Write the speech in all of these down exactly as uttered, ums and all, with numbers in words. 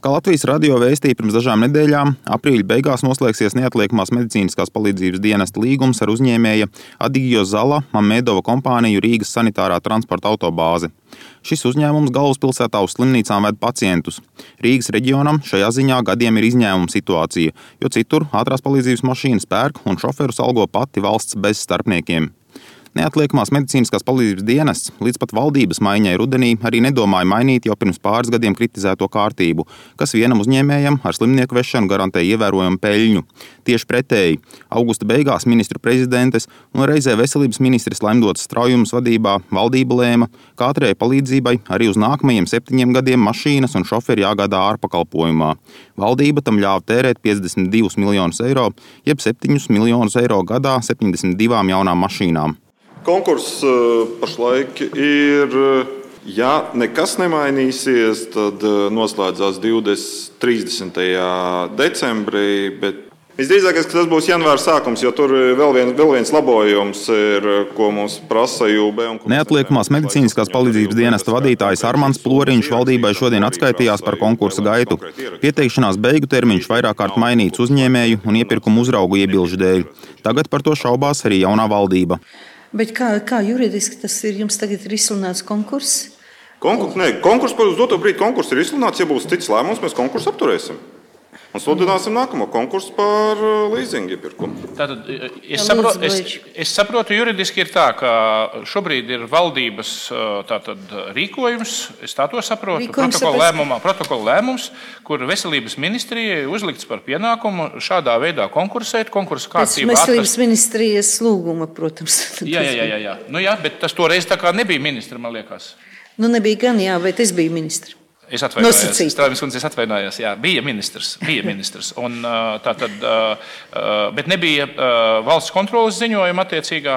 Kā Latvijas radio vēstīja pirms dažām nedēļām, aprīļa beigās noslēgsies neatliekamās medicīniskās palīdzības dienesta līgums ar uzņēmēja Adigio Zala Mamedova kompāniju Rīgas sanitārā transporta autobāze. Šis uzņēmums galvaspilsētā uz slimnīcām ved pacientus. Rīgas reģionam šajā ziņā gadiem ir izņēmuma situācija, jo citur ātrās palīdzības mašīnas pērk un šoferus algo pati valsts bez starpniekiem. Neatliekamās medicīniskās palīdzības dienests līdz pat valdības maiņai rudenī arī nedomāja mainīt jau pirms pāris gadiem kritizēto kārtību, kas vienam uzņēmējam ar slimnieku vešanu garantē ievērojumu peļņu. Tieši pretēji, augusta beigās ministru prezidentes un reizē veselības ministres Laimdotas Straujumas vadībā valdība lēma, ka ātrajai palīdzībai arī uz nākamajiem septiņiem gadiem mašīnas un šoferi jāgādā ārpakalpojumā. Valdība tam ļāva tērēt piecdesmit divus miljonus eiro, jeb septiņus miljonus eiro gadā septiņdesmit divām jaunām mašīnām. Konkurss pašlaik ir, ja nekas nemainīsies, tad noslēdzās divdesmit trīsdesmitajā decembrī, bet visdrīzākais, ka tas būs janvāra sākums, jo tur vēl viens, vēl viens labojums ir, ko mums prasa J U B. Neatliekamās medicīniskās palīdzības dienesta vadītājs Armands Ploriņš valdībai šodien atskaitījās par konkursa gaitu. Pieteikšanās beigu termiņš vairāk kārt mainīts uzņēmēju un iepirkumu uzraugu iebilžu dēļ. Tagad par to šaubās arī jaunā valdība. Bet kā, kā juridiski tas ir? Jums tagad ir izsludināts konkurss? Konkurs, nē, konkurss par uz doto brīdi konkurss ir izsludināts. Ja būs cits lēmums, mēs konkursu apturēsim. Un sludināsim nākamo konkursu par līzingu iepirkumu. Tātad, es, saprotu, es, es saprotu, juridiski ir tā, ka šobrīd ir valdības tātad, rīkojums, es tā to saprotu, protokola lēmumā, protokola lēmums, kur veselības ministrijai uzlikts par pienākumu šādā veidā konkursēt, konkursu kārtību atrast. Veselības ministrijas lūguma, protams. Jā, jā, jā, jā. Nu jā, bet tas toreiz tā kā nebija ministra, man liekas. Nu nebija gan, jā, bet es biju ministra. Es atvainojos, Straujumas kundze, es atvainojos, jā, bija ministrs, bija ministrs, un tā tad, bet nebija valsts kontroles ziņojuma attiecīgā.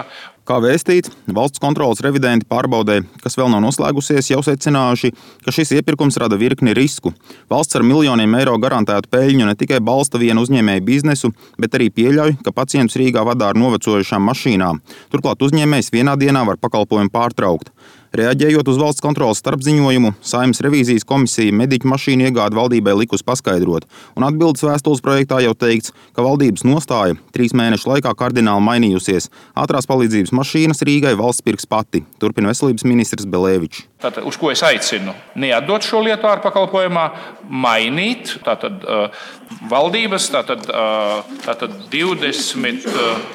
Kā vēstīts, valsts kontroles revidenti pārbaudē, kas vēl nav noslēgusies, jau secinājuši, ka šis iepirkums rada virkni risku. Valsts ar miljoniem eiro garantētu peļņu ne tikai balsta vienu uzņēmēju biznesu, bet arī pieļauj, ka pacientus Rīgā vadā ar novecojušām mašīnām. Turklāt uzņēmējs vienā dienā var pakalpojumu pārtraukt. Reaģējot uz valsts kontroles starpziņojumu, Saeimas revīzijas komisija mediķu mašīnu iegādi valdībai likus paskaidrot, un atbildes vēstules projektā jau teikts, ka valdības nostāja trīs mēnešu laikā kardināli mainījusies. Ātrās palīdzības mašīnas Rīgai valsts pirks pati, turpina veselības ministrs Belēvičs. Tātad, uz ko es aicinu neatdot šo lietu ārpakalpojumā, mainīt tātad, uh, valdības tātad, uh, tātad divdesmit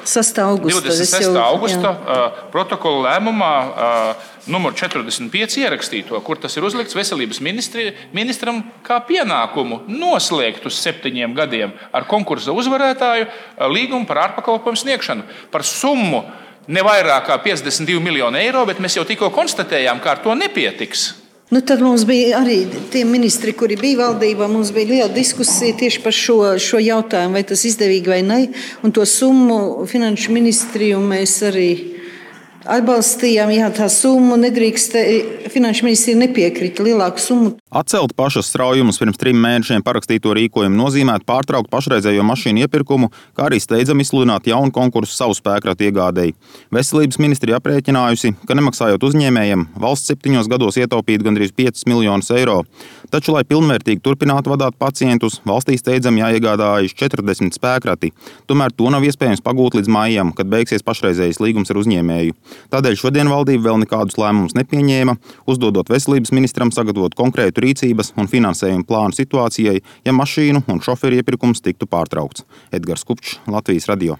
sestā augusta uh, protokola lēmumā uh, numur četrdesmit pieci ierakstīto, kur tas ir uzlikts veselības ministri, ministram kā pienākumu noslēgt uz septiņiem gadiem ar konkursa uzvarētāju līgumu par ārpakalpojumu sniegšanu. Par summu ne vairāk kā piecdesmit divi miljoni eiro, bet mēs jau tikko konstatējām, ka ar to nepietiks. Nu, tad mums bija arī tie ministri, kuri bija valdībā, mums bija liela diskusija tieši par šo, šo jautājumu, vai tas izdevīgi vai ne. Un to summu finanšu ministriju mēs arī atbalstījām, jā, tā summa nedrīkst, finanšu ministrija nepiekrita lielāku summu. Atcelt pašas Straujumas pirms trim mēnešiem parakstīto rīkojumu nozīmētu pārtraukt pašreizējo mašīnu iepirkumu, kā arī steidzami izsludināt jaunu konkursu savu spēkratu iegādēji. Veselības ministrija aprēķinājusi, ka nemaksājot uzņēmējiem, valsts septiņos gados ietaupītu gandrīz piecus miljonus eiro. Taču, lai pilnvērtīgi turpinātu vadāt pacientus, valstī steidzami jāiegādājas četrdesmit spēkrati. Tomēr to nav iespējams pagūt līdz maijam, kad beigsies pašreizējais līgums ar uzņēmēju. Tādēļ šodien valdība vēl nekādus lēmumus nepieņēma, uzdodot veselības ministram sagatavot konkrētu rīcības un finansējuma plānu situācijai, ja mašīnu un šoferu iepirkums tiktu pārtraukts. Edgars Kupčs, Latvijas radio.